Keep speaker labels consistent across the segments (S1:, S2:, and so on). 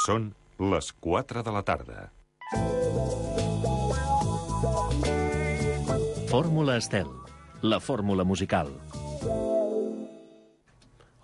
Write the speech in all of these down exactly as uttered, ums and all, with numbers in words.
S1: Són les quatre de la tarda.
S2: Fórmula Estel, la fórmula musical.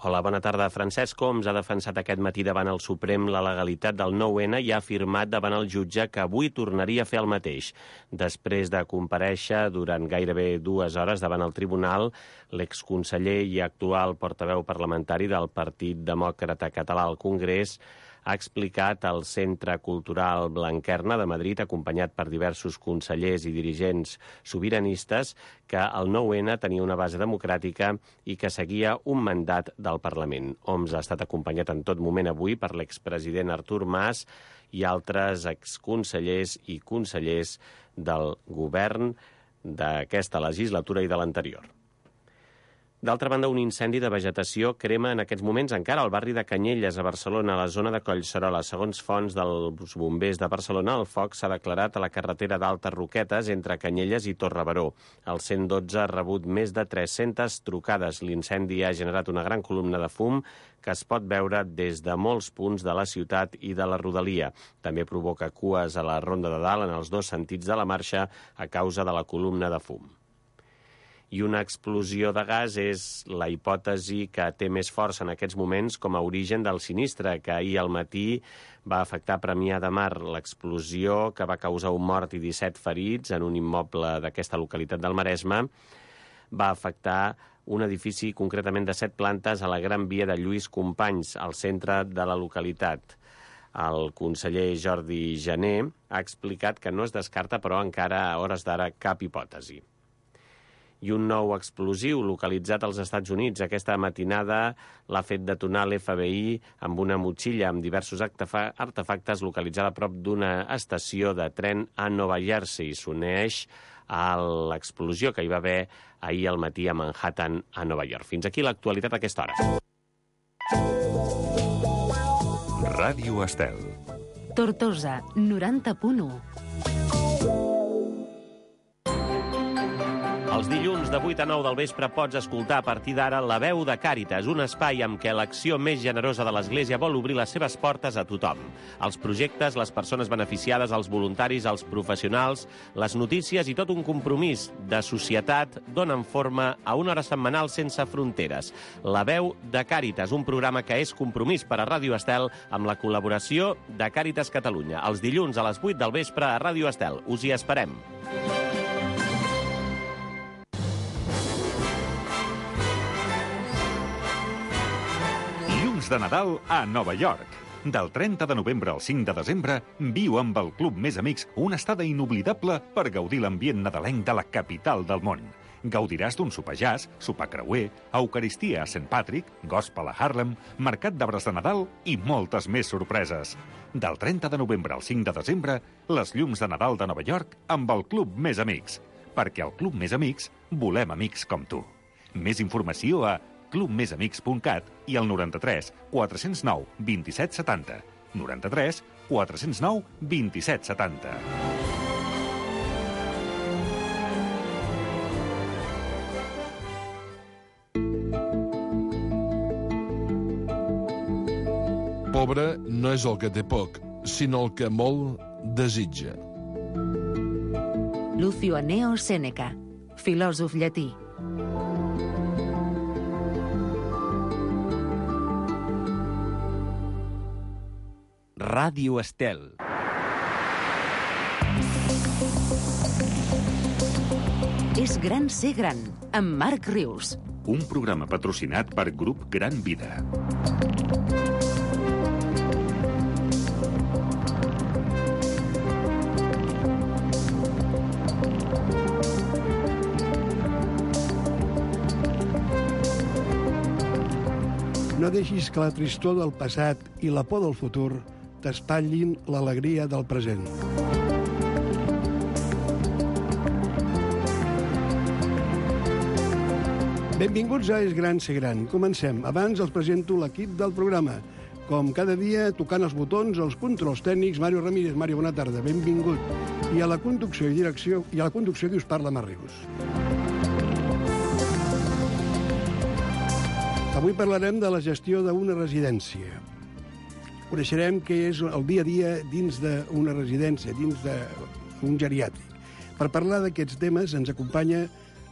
S3: Hola, bona tarda. Francesc Homs ha defensat aquest matí davant el Suprem la legalitat del nou ene i ha afirmat davant el jutge que avui tornaria a fer el mateix. Després de comparèixer durant gairebé dues hores davant el tribunal, l'exconseller i actual portaveu parlamentari del Partit Demòcrata Català al Congrés ha explicat al Centre Cultural Blanquerna de Madrid, acompanyat per diversos consellers i dirigents sobiranistes, que el nou ene tenia una base democràtica i que seguia un mandat del Parlament. Homs ha estat acompanyat en tot moment avui per l'expresident Artur Mas i altres exconsellers i consellers del govern d'aquesta legislatura i de l'anterior. D'altra banda, un incendi de vegetació crema en aquests moments encara al barri de Canyelles, a Barcelona, a la zona de Collserola. Segons fonts dels bombers de Barcelona, el foc s'ha declarat a la carretera d'Altes Roquetes entre Canyelles i Torrebaró. El cent dotze ha rebut més de tres-centes trucades. L'incendi ha generat una gran columna de fum que es pot veure des de molts punts de la ciutat i de la rodalia. També provoca cues a la Ronda de Dalt en els dos sentits de la marxa a causa de la columna de fum. I una explosió de gas és la hipòtesi que té més força en aquests moments com a origen del sinistre que ahir al matí va afectar Premià de Mar. L'explosió, que va causar un mort i disset ferits en un immoble d'aquesta localitat del Maresme, va afectar un edifici concretament de set plantes a la Gran Via de Lluís Companys, al centre de la localitat. El conseller Jordi Jané ha explicat que no es descarta, però encara a hores d'ara, cap hipòtesi. I un nou explosiu localitzat als Estats Units. Aquesta matinada l'ha fet detonar l'F B I amb una motxilla amb diversos artefactes localitzada a prop d'una estació de tren a Nova Jersey. S'uneix a l'explosió que hi va haver ahir al matí a Manhattan, a Nova York. Fins aquí l'actualitat a aquesta hora.
S1: Ràdio Estel.
S4: Tortosa, noranta punt u.
S3: Els dilluns de vuit a nou del vespre pots escoltar a partir d'ara La Veu de Càritas, un espai amb què l'acció més generosa de l'Església vol obrir les seves portes a tothom. Els projectes, les persones beneficiades, els voluntaris, els professionals, les notícies i tot un compromís de societat donen forma a una hora setmanal sense fronteres. La Veu de Càritas, un programa que és compromís per a Ràdio Estel amb la col·laboració de Càritas Catalunya. Els dilluns a les vuit del vespre a Ràdio Estel. Us hi esperem.
S1: De Nadal a Nova York. Del trenta de novembre al cinc de desembre, viu amb el Club Més Amics una estada inoblidable per gaudir l'ambient nadalenc de la capital del món. Gaudiràs d'un sopar jazz, sopar creuer, eucaristia a Saint Patrick, gospel a Harlem, mercat d'arbres de Nadal i moltes més sorpreses. Del trenta de novembre al cinc de desembre, les llums de Nadal de Nova York amb el Club Més Amics. Perquè al Club Més Amics volem amics com tu. Més informació a club més amics punt cat i el noranta-tres quatre cents nou vint-i-set setanta. noranta-tres quatre cents nou vint-i-set setanta.
S5: Pobre no és el que té poc, sinó el que molt desitja.
S4: Lucio Anneo Sèneca, filòsof llatí.
S3: Ràdio Estel.
S4: És gran ser gran, amb Marc Rius.
S1: Un programa patrocinat per Grup Gran Vida.
S6: No deixis que la tristor del passat i la por del futur t'espatllin l'alegria del present. Benvinguts a És gran ser gran. Comencem. Abans els presento l'equip del programa. Com cada dia, tocant els botons, els controls tècnics, Mario Ramírez. Mario, bona tarda, benvingut. I a la conducció i direcció, i a la conducció qui us parla, Marc Rius. Avui parlarem de la gestió d'una residència. Coneixerem què és el dia a dia dins d'una residència, dins d'un geriàtric. Per parlar d'aquests temes ens acompanya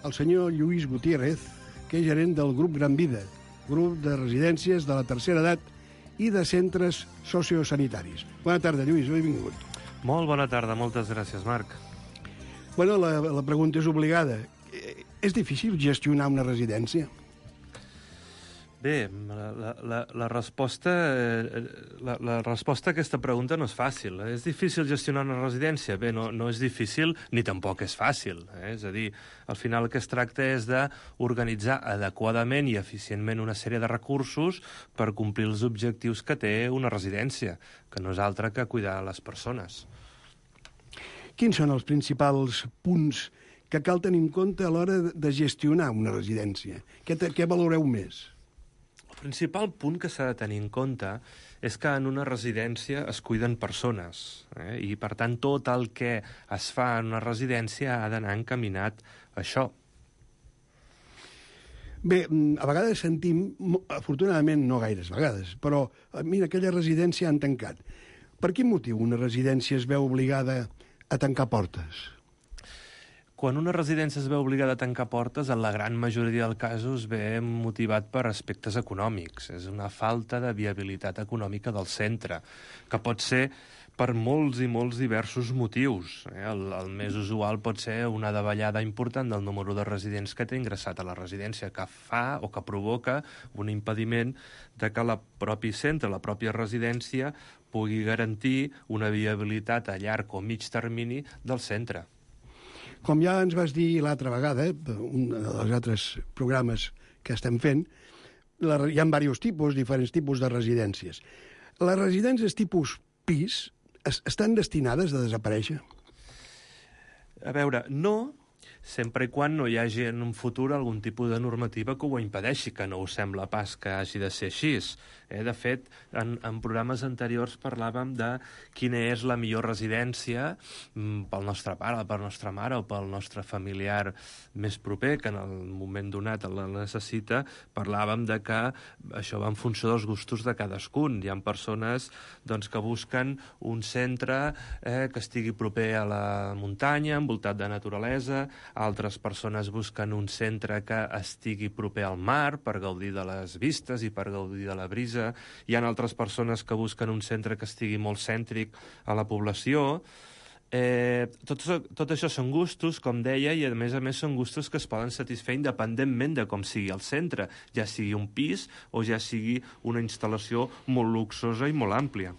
S6: el senyor Lluís Gutiérrez, que és gerent del grup Gran Vida, grup de residències de la tercera edat i de centres sociosanitaris. Bona tarda, Lluís, benvingut.
S7: Molt bona tarda, moltes gràcies, Marc.
S6: Bueno, la, la pregunta és obligada. És difícil gestionar una residència?
S7: Bé, la, la, la, resposta, la, la resposta a aquesta pregunta no és fàcil. És difícil gestionar una residència? Bé, no, no és difícil ni tampoc és fàcil. Eh? És a dir, al final el que es tracta és d'organitzar adequadament i eficientment una sèrie de recursos per complir els objectius que té una residència, que no és altre que cuidar les persones.
S6: Quins són els principals punts que cal tenir en compte a l'hora de gestionar una residència? Què, què valoreu més?
S7: El principal punt que s'ha de tenir en compte és que en una residència es cuiden persones, eh? I, per tant, tot el que es fa en una residència ha d'anar encaminat a això.
S6: Bé, a vegades sentim, afortunadament no gaires vegades, però mira, aquella residència han tancat. Per quin motiu una residència es veu obligada a tancar portes?
S7: Quan una residència es veu obligada a tancar portes, en la gran majoria dels casos ve motivat per aspectes econòmics. És una falta de viabilitat econòmica del centre, que pot ser per molts i molts diversos motius. El, el més usual pot ser una davallada important del número de residents que té ingressat a la residència, que fa o que provoca un impediment de que el propi centre, la pròpia residència, pugui garantir una viabilitat a llarg o mig termini del centre.
S6: Com ja ens vas dir l'altra vegada, un dels altres programes que estem fent, la, hi ha diversos tipus, diferents tipus de residències. Les residències tipus pis es, estan destinades a desaparèixer?
S7: A veure, no, sempre i quan no hi hagi en un futur algun tipus de normativa que ho impedeixi, que no us sembla pas que hagi de ser així. Eh? De fet, en, en programes anteriors parlàvem de quina és la millor residència mm, pel nostre pare, per la nostra mare o pel nostre familiar més proper, que en el moment donat la necessita. Parlàvem de que això va en funció dels gustos de cadascun. Hi ha persones doncs, que busquen un centre eh, que estigui proper a la muntanya, envoltat de naturalesa. Altres persones busquen un centre que estigui proper al mar per gaudir de les vistes i per gaudir de la brisa. Hi ha altres persones que busquen un centre que estigui molt cèntric a la població. Eh, tot, tot això són gustos, com deia, i a més a més són gustos que es poden satisfer independentment de com sigui el centre, ja sigui un pis o ja sigui una instal·lació molt luxosa i molt àmplia.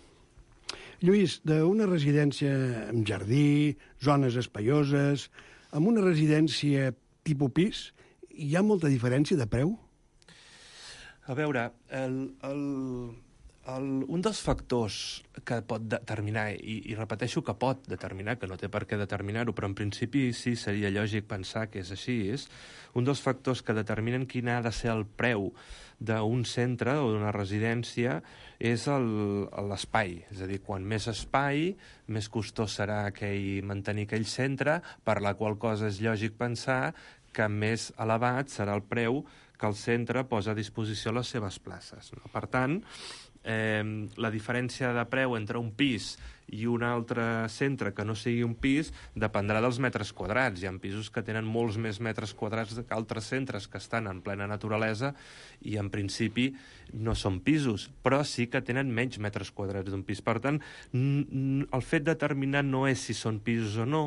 S6: Lluís, d'una residència amb jardí, zones espaioses, amb una residència tipus pis, hi ha molta diferència de preu?
S7: A veure, el, el, el, un dels factors que pot determinar, i, i repeteixo que pot determinar, que no té per què determinar-ho, però en principi sí seria lògic pensar que és així, és un dels factors que determinen quin ha de ser el preu d'un centre o d'una residència és l'espai. És a dir, quan més espai, més costós serà aquell, mantenir aquell centre, per la qual cosa és lògic pensar que més elevat serà el preu que el centre posa a disposició les seves places. No? Per tant, eh, la diferència de preu entre un pis i un altre centre que no sigui un pis dependrà dels metres quadrats. Hi ha pisos que tenen molts més metres quadrats que altres centres que estan en plena naturalesa i en principi no són pisos, però sí que tenen menys metres quadrats d'un pis. Per tant, el fet determinant no és si són pisos o no,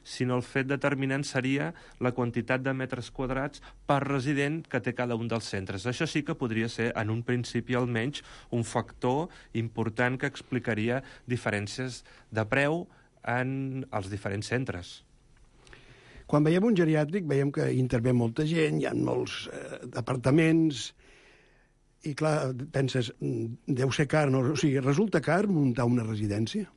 S7: sinó el fet determinant seria la quantitat de metres quadrats per resident que té cada un dels centres. Això sí que podria ser, en un principi almenys, un factor important que explicaria diferències de preu en els diferents centres.
S6: Quan veiem un geriàtric veiem que intervé molta gent, hi ha molts eh, apartaments, i clar, penses, deu ser car, no? O sigui, resulta car muntar una residència?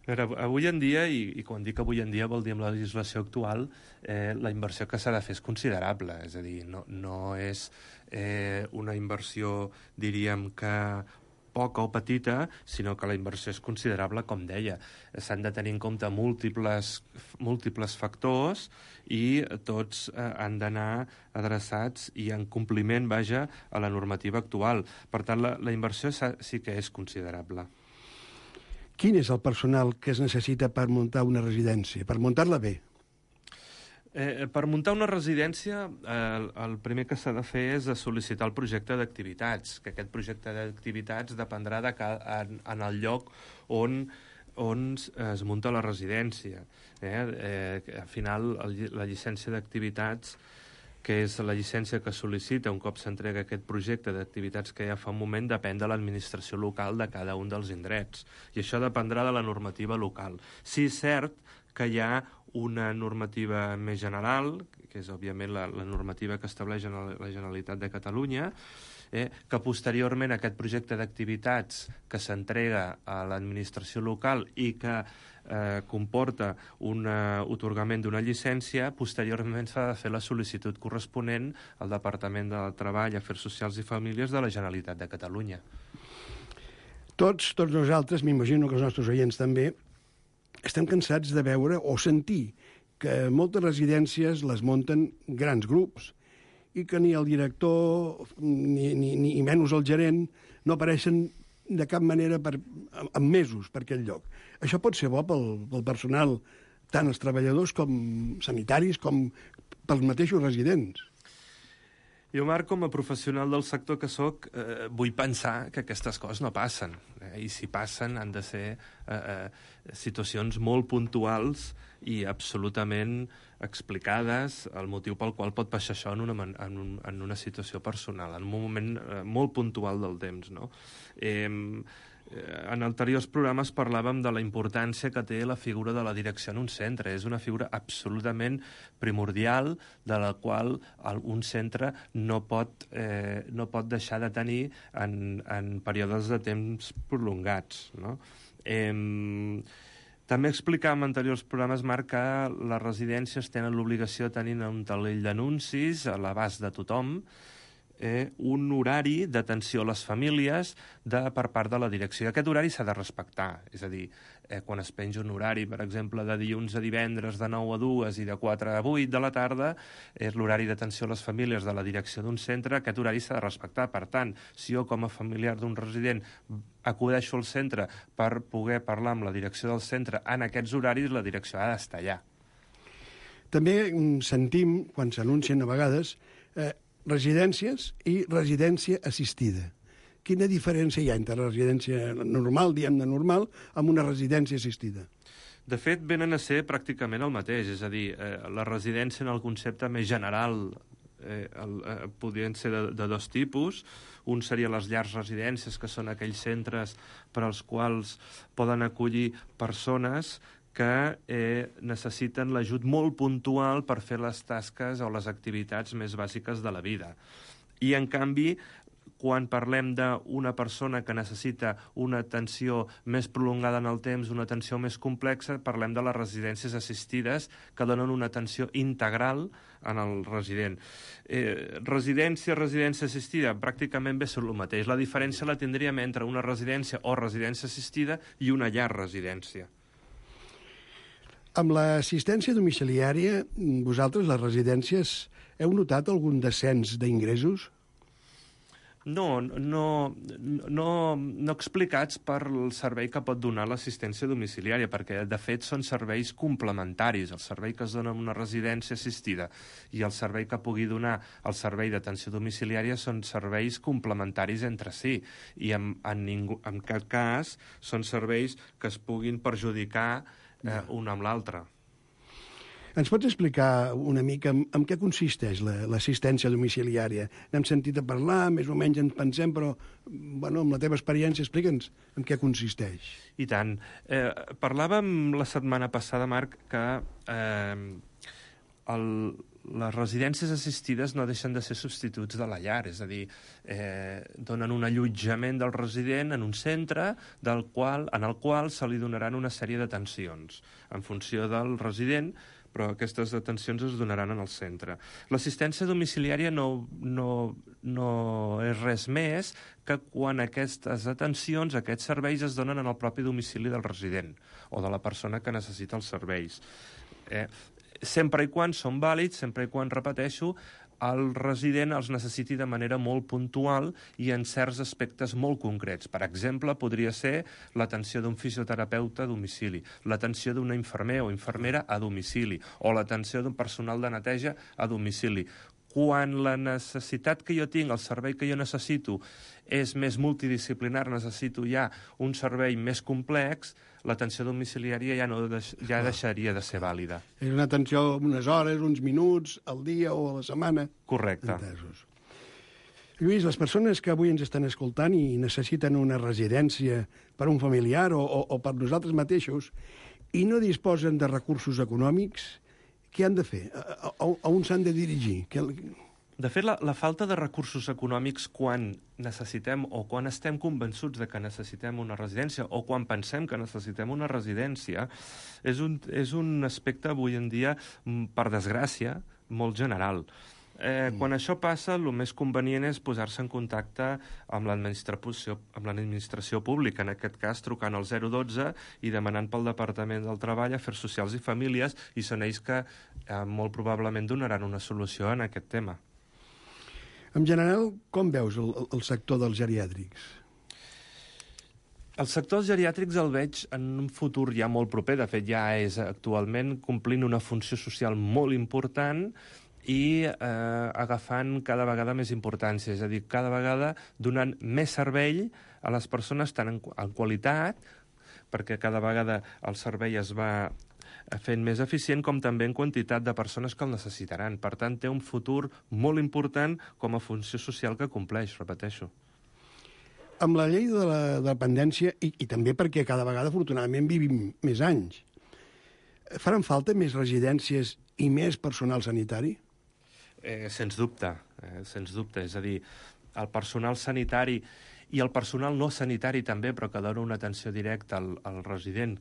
S7: A veure, avui en dia, i, i quan dic avui en dia vol dir amb la legislació actual, eh, la inversió que s'ha de fer és considerable, és a dir, no, no és eh, una inversió, diríem, que poca o petita, sinó que la inversió és considerable, com deia. S'han de tenir en compte múltiples, múltiples factors i tots eh, han d'anar adreçats i en compliment, vaja, a la normativa actual. Per tant, la, la inversió sí que és considerable.
S6: Quin és el personal que es necessita per muntar una residència, per muntar-la bé?
S7: Eh, per muntar una residència, eh, el, el primer que s'ha de fer és sol·licitar el projecte d'activitats, que aquest projecte d'activitats dependrà de ca, en, en el lloc on, on es munta la residència. Eh? Eh, al final, el, la llicència d'activitats, que és la llicència que sol·licita un cop s'entrega aquest projecte d'activitats que ja fa un moment, depèn de l'administració local de cada un dels indrets. I això dependrà de la normativa local. Sí, és cert que hi ha una normativa més general, que és òbviament la, la normativa que estableix la Generalitat de Catalunya, eh, que posteriorment aquest projecte d'activitats que s'entrega a l'administració local i que eh, comporta un atorgament d'una llicència, posteriorment s'ha de fer la sol·licitud corresponent al Departament de Treball, Afers Socials i Famílies de la Generalitat de Catalunya.
S6: Tots, tots nosaltres, m'imagino que els nostres oients també, estem cansats de veure o sentir que moltes residències les munten grans grups i que ni el director ni, ni, ni menys el gerent no apareixen de cap manera per, en mesos per aquell lloc. Això pot ser bo pel, pel personal, tant els treballadors com sanitaris com pels mateixos residents.
S7: Jo, Marc, com a professional del sector que sóc, eh, vull pensar que aquestes coses no passen. Eh? I si passen han de ser eh, eh, situacions molt puntuals i absolutament explicades, el motiu pel qual pot passar això en una, en un, en una situació personal, en un moment eh, molt puntual del temps, no? Eh, En anteriors programes parlàvem de la importància que té la figura de la direcció en un centre. És una figura absolutament primordial de la qual un centre no pot, eh, no pot deixar de tenir en, en períodes de temps prolongats, no? Eh, també explicàvem en anteriors programes, Marc, que les residències tenen l'obligació de tenir un taulell d'anuncis a l'abast de tothom, Eh, un horari d'atenció a les famílies de, per part de la direcció. I aquest horari s'ha de respectar. És a dir, eh, quan es penja un horari, per exemple, de dilluns a divendres de nou a dues i de quatre a vuit de la tarda, és l'horari d'atenció a les famílies de la direcció d'un centre, aquest horari s'ha de respectar. Per tant, si jo com a familiar d'un resident acudeixo al centre per poder parlar amb la direcció del centre en aquests horaris, la direcció ha d'estar allà.
S6: També sentim, quan s'anuncien a vegades, eh, residències i residència assistida. Quina diferència hi ha entre la residència normal, diguem-ne normal, amb una residència assistida?
S7: De fet, venen a ser pràcticament el mateix, és a dir, eh, la residència en el concepte més general eh, el, eh, podrien ser de, de dos tipus. Un seria les llars residències, que són aquells centres per als quals poden acollir persones que eh, necessiten l'ajut molt puntual per fer les tasques o les activitats més bàsiques de la vida. I, en canvi, quan parlem d'una persona que necessita una atenció més prolongada en el temps, una atenció més complexa, parlem de les residències assistides que donen una atenció integral en el resident. Eh, residència, residència assistida, pràcticament bé són el mateix. La diferència la tindríem entre una residència o residència assistida i una llar residència.
S6: Amb l'assistència domiciliària, vosaltres, les residències, heu notat algun descens d'ingressos?
S7: No, no, no, no explicats per el servei que pot donar l'assistència domiciliària, perquè, de fet, són serveis complementaris. El servei que es dona en una residència assistida i el servei que pugui donar el servei d'atenció domiciliària són serveis complementaris entre si, i en, en, ningú, en cap cas són serveis que es puguin perjudicar eh, un amb l'altre.
S6: Ens pots explicar una mica en, en què consisteix l'assistència domiciliària? N'hem sentit a parlar, més o menys en pensem, però bueno, amb la teva experiència explica'ns en què consisteix.
S7: I tant. Eh, parlàvem la setmana passada, Marc, que eh, el, les residències assistides no deixen de ser substituts de la llar, és a dir, eh, donen un allotjament del resident en un centre del qual, en el qual se li donaran una sèrie d'atencions en funció del resident, però aquestes atencions es donaran en el centre. L'assistència domiciliària no, no, no és res més que quan aquestes atencions, aquests serveis es donen en el propi domicili del resident o de la persona que necessita els serveis. Eh, sempre i quan són vàlids, sempre i quan, repeteixo, el resident els necessiti de manera molt puntual i en certs aspectes molt concrets. Per exemple, podria ser l'atenció d'un fisioterapeuta a domicili, l'atenció d'una infermer o infermera a domicili, o l'atenció d'un personal de neteja a domicili. Quan la necessitat que jo tinc, el servei que jo necessito, és més multidisciplinar, necessito ja un servei més complex, l'atenció domiciliària ja, no deix, ja deixaria de ser vàlida.
S6: És una atenció unes hores, uns minuts, al dia o a la setmana.
S7: Correcte.
S6: Entesos. Lluís, les persones que avui ens estan escoltant i necessiten una residència per un familiar o, o, o per nosaltres mateixos i no disposen de recursos econòmics, què han de fer? A, a, a on s'han de dirigir? Que...
S7: De fet, la, la falta de recursos econòmics quan necessitem o quan estem convençuts de que necessitem una residència o quan pensem que necessitem una residència és un, és un aspecte avui en dia, per desgràcia, molt general. Eh, mm. Quan això passa, el més convenient és posar-se en contacte amb l'administració amb l'administració pública, en aquest cas trucant al zero dotze i demanant pel Departament del Treball, Afers Socials i Famílies, i són ells que eh, molt probablement donaran una solució en aquest tema.
S6: En general, com veus el, el sector dels geriàtrics?
S7: El sector dels geriàtrics el veig en un futur ja molt proper, de fet ja és actualment complint una funció social molt important i eh, agafant cada vegada més importància, és a dir, cada vegada donant més servei a les persones tant en, en qualitat, perquè cada vegada el servei es va fent més eficient, com també en quantitat de persones que el necessitaran. Per tant, té un futur molt important com a funció social que compleix, repeteixo.
S6: Amb la llei de la dependència, i, i també perquè cada vegada, afortunadament, vivim més anys, faran falta més residències i més personal sanitari?
S7: Eh, sens dubte, eh, sens dubte. És a dir, el personal sanitari i el personal no sanitari també, però que dona una atenció directa al, al resident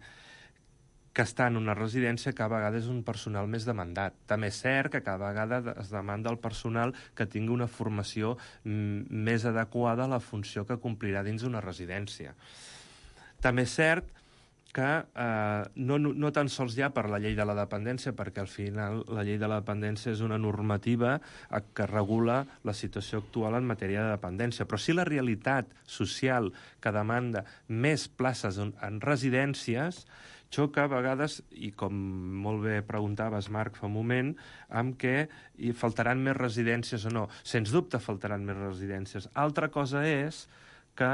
S7: que està en una residència, cada vegada és un personal més demandat. També és cert que cada vegada es demanda el personal que tingui una formació més adequada a la funció que complirà dins d'una residència. També és cert que eh, no, no tan sols ja per la llei de la dependència, perquè al final la llei de la dependència és una normativa que regula la situació actual en matèria de dependència, però sí la realitat social que demanda més places en, en residències xoca a vegades, i com molt bé preguntaves, Marc, fa un moment, amb què hi faltaran més residències o no. Sens dubte faltaran més residències. Altra cosa és que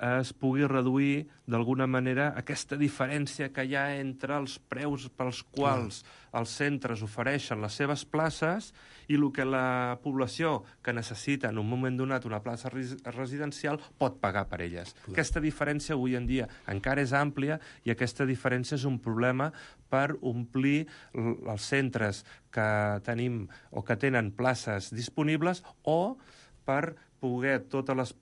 S7: es pugui reduir d'alguna manera aquesta diferència que hi ha entre els preus pels quals els centres ofereixen les seves places i el que la població que necessita en un moment donat una plaça residencial pot pagar per elles. Clar. Aquesta diferència avui en dia encara és àmplia i aquesta diferència és un problema per omplir els centres que tenim o que tenen places disponibles o per poder totes les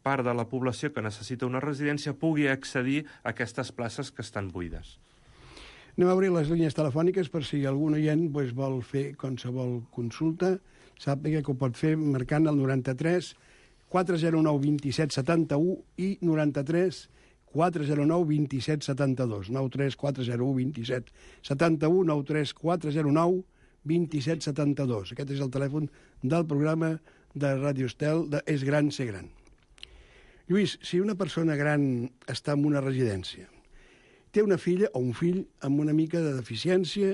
S7: part de la població que necessita una residència pugui accedir a aquestes places que estan buides.
S6: Anem a obrir les línies telefòniques per si algun oient pues, vol fer qualsevol consulta, sàpiga que ho pot fer marcant el noranta-tres quatre zero nou vint set setanta-u i noranta-tres quatre zero nou vint set setanta-dos, nou tres quatre zero u vint set setanta-u, nou tres quatre zero nou vint set setanta-dos. Aquest és el telèfon del programa de Ràdio Estel de És Gran Ser Gran. Lluís, si una persona gran està en una residència, té una filla o un fill amb una mica de deficiència,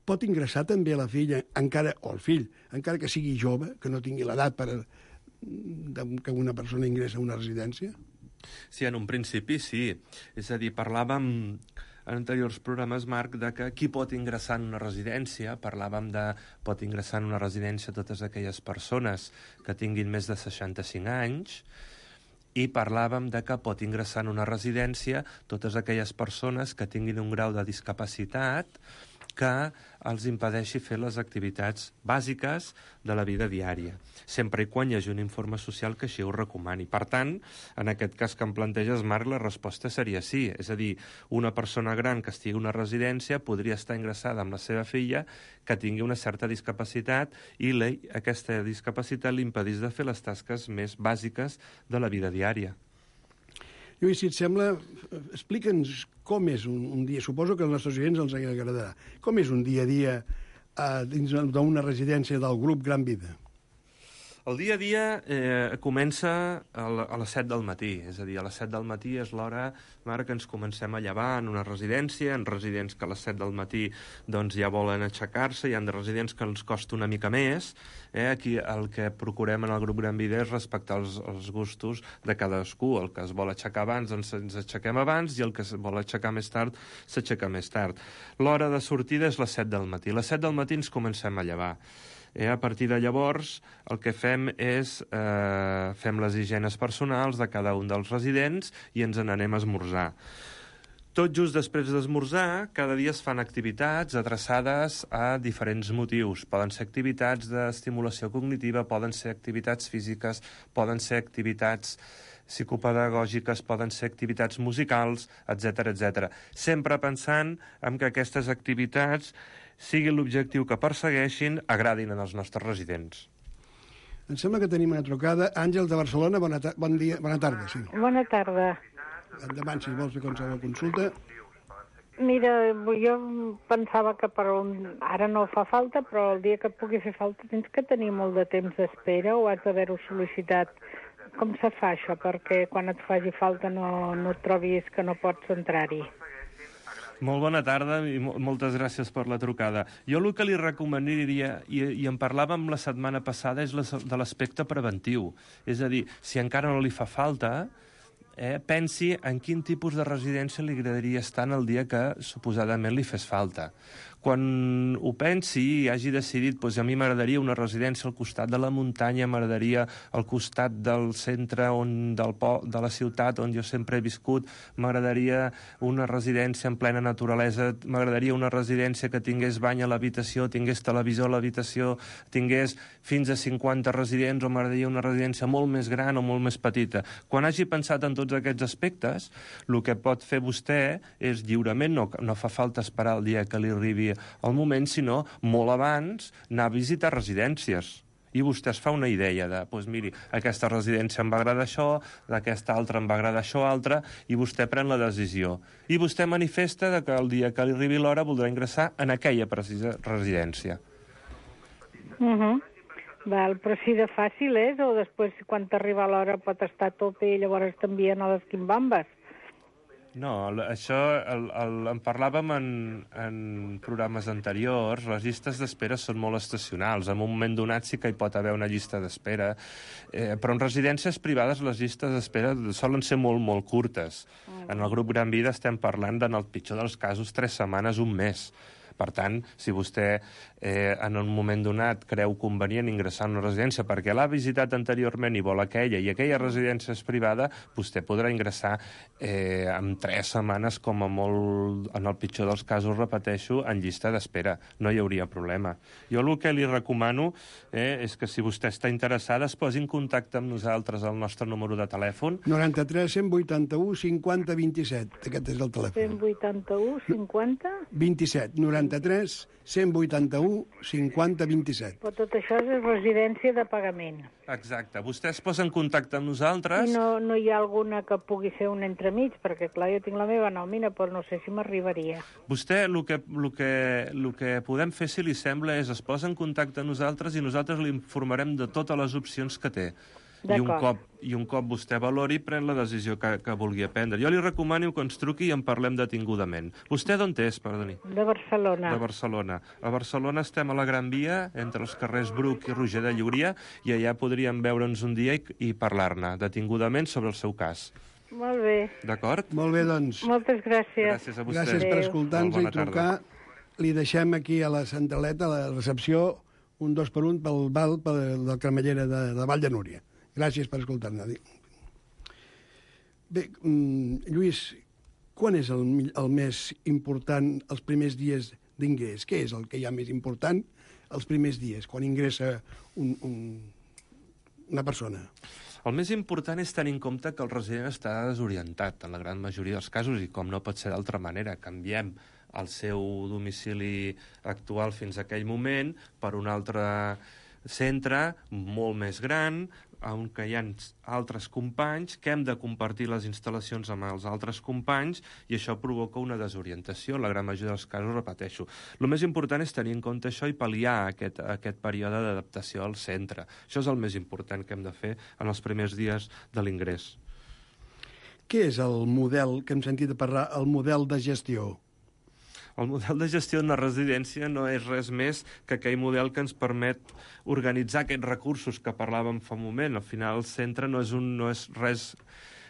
S6: pot ingressar també la filla, encara o el fill, encara que sigui jove, que no tingui l'edat per a, que una persona ingressa a una residència?
S7: Sí, en un principi sí. És a dir, parlàvem en anteriors programes, Marc, de que qui pot ingressar en una residència, parlàvem de pot ingressar en una residència totes aquelles persones que tinguin més de seixanta-cinc anys, i parlàvem de que pot ingressar en una residència totes aquelles persones que tinguin un grau de discapacitat que els impedeixi fer les activitats bàsiques de la vida diària, sempre i quan hi hagi un informe social que així ho recomani. Per tant, en aquest cas que em planteges, Marc, la resposta seria sí. És a dir, una persona gran que estigui a una residència podria estar ingressada amb la seva filla que tingui una certa discapacitat i la, aquesta discapacitat li impedís de fer les tasques més bàsiques de la vida diària.
S6: Lluís, si et sembla, explica'ns com és un, un dia. Suposo que als nostres oients els agradarà. Com és un dia a dia eh, dins d'una residència del grup Gran Vida?
S7: El dia a dia eh, comença a, la, a les set del matí, és a dir, a les set del matí és l'hora, Marc, que ens comencem a llevar en una residència, en residents que a les set del matí doncs, ja volen aixecar-se, hi ha de residents que els costa una mica més. Eh? Aquí el que procurem en el grup Gran Vida és respectar els, els gustos de cadascú. El que es vol aixecar abans, doncs ens aixequem abans, i el que es vol aixecar més tard, s'aixeca més tard. L'hora de sortida és les set del matí. A les set del matí ens comencem a llevar. Eh, a partir de llavors, el que fem és eh, fem les higienes personals de cada un dels residents i ens n'anem a esmorzar. Tot just després d'esmorzar, cada dia es fan activitats adreçades a diferents motius. Poden ser activitats d'estimulació cognitiva, poden ser activitats físiques, poden ser activitats psicopedagògiques, poden ser activitats musicals, etcètera, etcètera. Sempre pensant en que aquestes activitats, sigui l'objectiu que persegueixin, agradin als nostres residents.
S6: Em sembla que tenim una trucada. Àngel, de Barcelona, bona, ta bon dia, bona tarda. Sí.
S8: Bona tarda.
S6: Endavant, si vols fer qualsevol consulta.
S8: Mira, jo pensava que per un... ara no fa falta, però el dia que pugui fer falta tens que tenir molt de temps d'espera o has d'haver-ho sol·licitat. Com se fa això? Perquè quan et faci falta no, no et trobis que no pots entrar-hi.
S7: Molt bona tarda i moltes gràcies per la trucada. Jo el que li recomanaria, i, i en parlàvem la setmana passada, és de l'aspecte preventiu. És a dir, si encara no li fa falta, eh, pensi en quin tipus de residència li agradaria estar en el dia que suposadament li fes falta. Quan ho pensi i hagi decidit, doncs a mi m'agradaria una residència al costat de la muntanya, m'agradaria al costat del centre on, del po, de la ciutat on jo sempre he viscut, m'agradaria una residència en plena naturalesa, m'agradaria una residència que tingués bany a l'habitació, tingués televisor a l'habitació, tingués fins a cinquanta residents, o m'agradaria una residència molt més gran o molt més petita. Quan hagi pensat en tots aquests aspectes, el que pot fer vostè és lliurement, no, no fa falta esperar el dia que li arribi al moment, sinó molt abans anar a visitar residències. I vostè es fa una idea de, doncs miri, aquesta residència em va agradar això, d'aquesta altra em va agradar això altre, i vostè pren la decisió. I vostè manifesta que el dia que li arribi l'hora voldrà ingressar en aquella precisa residència.
S8: Uh -huh. Val, però si de fàcil és, o després quan t'arriba l'hora pot estar a tope i llavors t'envien a les quimbambes?
S7: No, això el, el, en parlàvem en, en programes anteriors. Les llistes d'espera són molt estacionals. En un moment donat sí que hi pot haver una llista d'espera, eh, però en residències privades les llistes d'espera solen ser molt, molt curtes. Mm. En el grup Gran Vida estem parlant, en el pitjor dels casos, tres setmanes, un mes. Per tant, si vostè eh, en un moment donat creu convenient ingressar en una residència perquè l'ha visitat anteriorment i vol aquella, i aquella residència és privada, vostè podrà ingressar eh, en tres setmanes, com a molt, en el pitjor dels casos, repeteixo, en llista d'espera. No hi hauria problema. Jo el que li recomano eh, és que si vostè està interessada es posi en contacte amb nosaltres al nostre número de telèfon.
S6: noranta-tres cent vuitanta-u cinquanta vint-i-set. Aquest és el telèfon.
S8: cent vuitanta-u cinquanta
S6: vint-i-set. noranta-tres cent vuitanta-u cinquanta vint-i-set.
S8: Però tot això és residència de pagament.
S7: Exacte. Vostè es posa en contacte amb nosaltres.
S8: I no, no hi ha alguna que pugui ser un entremig, perquè clar, jo tinc la meva nòmina, però no sé si m'arribaria.
S7: Vostè, el que, el, que, el que podem fer, si li sembla, és es posa en contacte amb nosaltres i nosaltres li informarem de totes les opcions que té. I un, cop, I un cop vostè valori, pren la decisió que, que vulgui prendre. Jo li recomano que ens truqui i en parlem detingudament. Vostè d'on és, perdoni?
S8: De Barcelona.
S7: De Barcelona. A Barcelona estem a la Gran Via, entre els carrers Bruc i Roger de Llúria, i allà podríem veure'ns un dia i, i parlar-ne detingudament sobre el seu cas.
S8: Molt bé.
S7: D'acord?
S6: Molt bé, doncs.
S8: Moltes gràcies.
S7: Gràcies a vostè.
S6: Gràcies per escoltar-nos i trucar.
S7: Tarda.
S6: Li deixem aquí a la centraleta, a la recepció, un dos per un pel val pel, del Cremallera de, de Vall de Núria. Gràcies per escoltar-nos. Bé, Lluís, quan és el, el més important, els primers dies d'ingrés. Què és el que hi ha més important els primers dies, quan ingressa un, un, una persona?
S7: El més important és tenir en compte que el resident està desorientat en la gran majoria dels casos i com no pot ser d'altra manera. Canviem el seu domicili actual fins a aquell moment per un altre centre molt més gran, on hi ha altres companys, que hem de compartir les instal·lacions amb els altres companys i això provoca una desorientació. En la gran majoria dels casos, repeteixo. El més important és tenir en compte això i pal·liar aquest, aquest període d'adaptació al centre. Això és el més important que hem de fer en els primers dies de l'ingrés.
S6: Què és el model, que hem sentit a parlar, el model de gestió?
S7: El model de gestió d'una residència no és res més que aquell model que ens permet organitzar aquests recursos que parlàvem fa un moment. Al final, el centre no és, un, no és, res,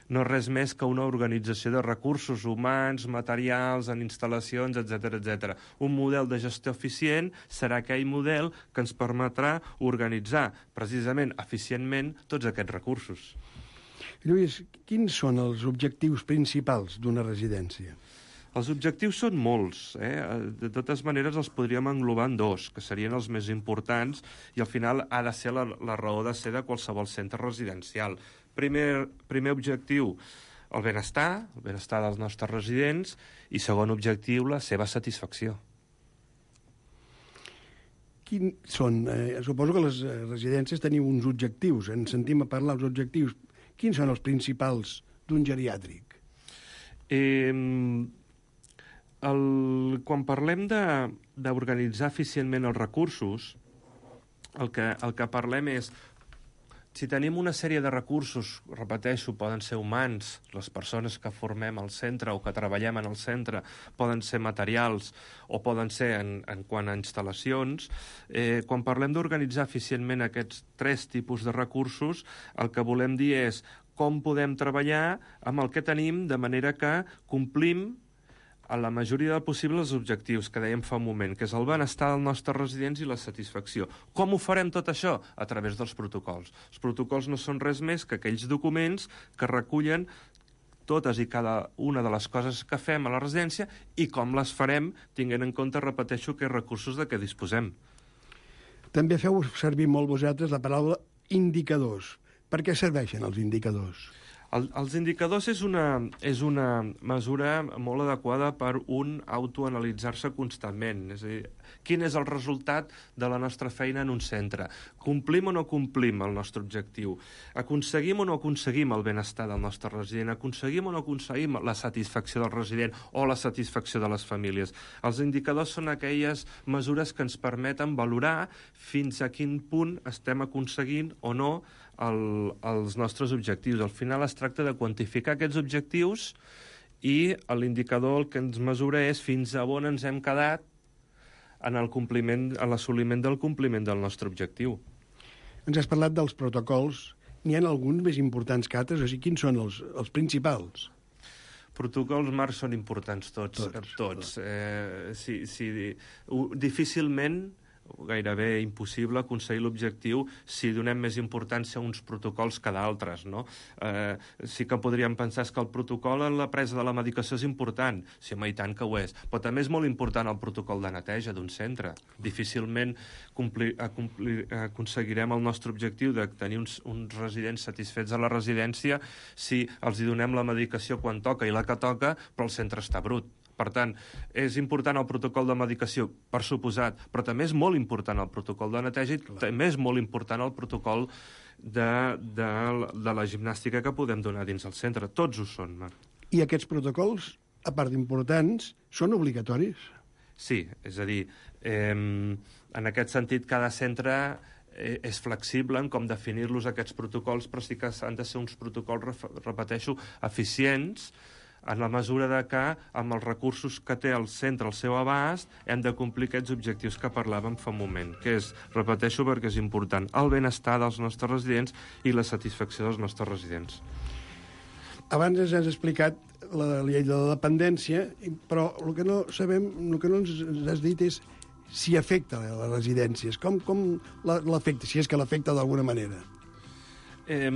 S7: no és res més que una organització de recursos humans, materials, en instal·lacions, etcètera, etcètera. Un model de gestió eficient serà aquell model que ens permetrà organitzar precisament eficientment tots aquests recursos.
S6: Lluís, quins són els objectius principals d'una residència?
S7: Els objectius són molts, eh? De totes maneres els podríem englobar en dos, que serien els més importants i al final ha de ser la, la raó de ser de qualsevol centre residencial. Primer, primer objectiu, el benestar, el benestar dels nostres residents, i segon objectiu, la seva satisfacció.
S6: Quin són? Eh, suposo que les residències teniu uns objectius, ens sentim a parlar dels objectius. Quins són els principals d'un geriàtric?
S7: Eh... El, quan parlem d'organitzar eficientment els recursos, el que, el que parlem és, si tenim una sèrie de recursos, repeteixo, poden ser humans, les persones que formem al centre o que treballem en el centre, poden ser materials o poden ser en, en quant a instal·lacions, eh, quan parlem d'organitzar eficientment aquests tres tipus de recursos, el que volem dir és com podem treballar amb el que tenim de manera que complim a la majoria del possible els objectius que dèiem fa un moment, que és el benestar dels nostres residents i la satisfacció. Com ho farem tot això? A través dels protocols. Els protocols no són res més que aquells documents que recullen totes i cada una de les coses que fem a la residència i com les farem, tinguent en compte, repeteixo, aquests recursos de què disposem.
S6: També feu servir molt vosaltres la paraula indicadors. Per què serveixen els indicadors?
S7: El, els indicadors és una, és una mesura molt adequada per un autoanalitzar-se constantment. És a dir, quin és el resultat de la nostra feina en un centre? Complim o no complim el nostre objectiu? Aconseguim o no aconseguim el benestar del nostre resident? Aconseguim o no aconseguim la satisfacció del resident o la satisfacció de les famílies? Els indicadors són aquelles mesures que ens permeten valorar fins a quin punt estem aconseguint o no el, els nostres objectius. Al final es tracta de quantificar aquests objectius i l'indicador el que ens mesura és fins a on ens hem quedat en el compliment, en l'assoliment del compliment del nostre objectiu.
S6: Ens has parlat dels protocols. N'hi ha alguns més importants que altres? O sigui, quins són els, els principals?
S7: Protocols, Marc, són importants tots. Tots. tots. Eh, sí, sí, difícilment gairebé impossible aconseguir l'objectiu si donem més importància a uns protocols que d'altres, no? Eh, sí que podríem pensar que el protocol en la presa de la medicació és important, sí, home, i tant que ho és, però també és molt important el protocol de neteja d'un centre. Difícilment complir, complir, aconseguirem el nostre objectiu de tenir uns, uns residents satisfets a la residència si els hi donem la medicació quan toca i la que toca, però el centre està brut. Per tant, és important el protocol de medicació, per suposat, però també és molt important el protocol de neteja i també és molt important el protocol de, de, de la gimnàstica que podem donar dins el centre. Tots ho són, Marc.
S6: I aquests protocols, a part d'importants, són obligatoris?
S7: Sí, és a dir, eh, en aquest sentit, cada centre eh, és flexible en com definir-los aquests protocols, però sí que han de ser uns protocols, repeteixo, eficients, en la mesura de que, amb els recursos que té el centre al seu abast, hem de complir aquests objectius que parlàvem fa un moment, que és, repeteixo perquè és important, el benestar dels nostres residents i la satisfacció dels nostres residents.
S6: Abans ens has explicat la llei de la dependència, però el que no sabem, el que no ens has dit és si afecta a les residències. Com, com l'afecta, si és que l'afecta d'alguna manera?
S7: Eh...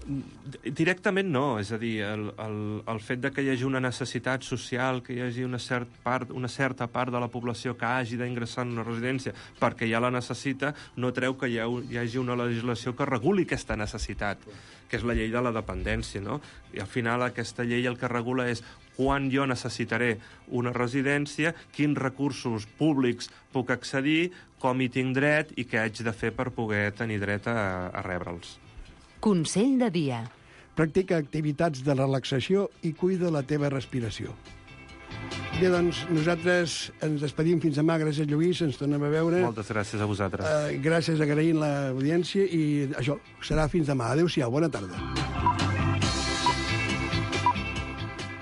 S7: Directament no, és a dir, el, el, el fet de que hi hagi una necessitat social, que hi hagi una, cert part, una certa part de la població que hagi d'ingressar en una residència perquè ja la necessita, no treu que hi, ha, hi hagi una legislació que reguli aquesta necessitat, que és la llei de la dependència, no? I al final aquesta llei el que regula és quan jo necessitaré una residència, quins recursos públics puc accedir, com hi tinc dret i què haig de fer per poder tenir dret a, a rebre'ls.
S4: Consell de dia.
S6: Practica activitats de relaxació i cuida la teva respiració. Bé, doncs, nosaltres ens despedim fins demà. Gràcies, Lluís, ens tornem a veure.
S7: Moltes gràcies a vosaltres.
S6: Uh, gràcies, agraint l'audiència, i això serà fins demà. Adéu-siau, bona tarda.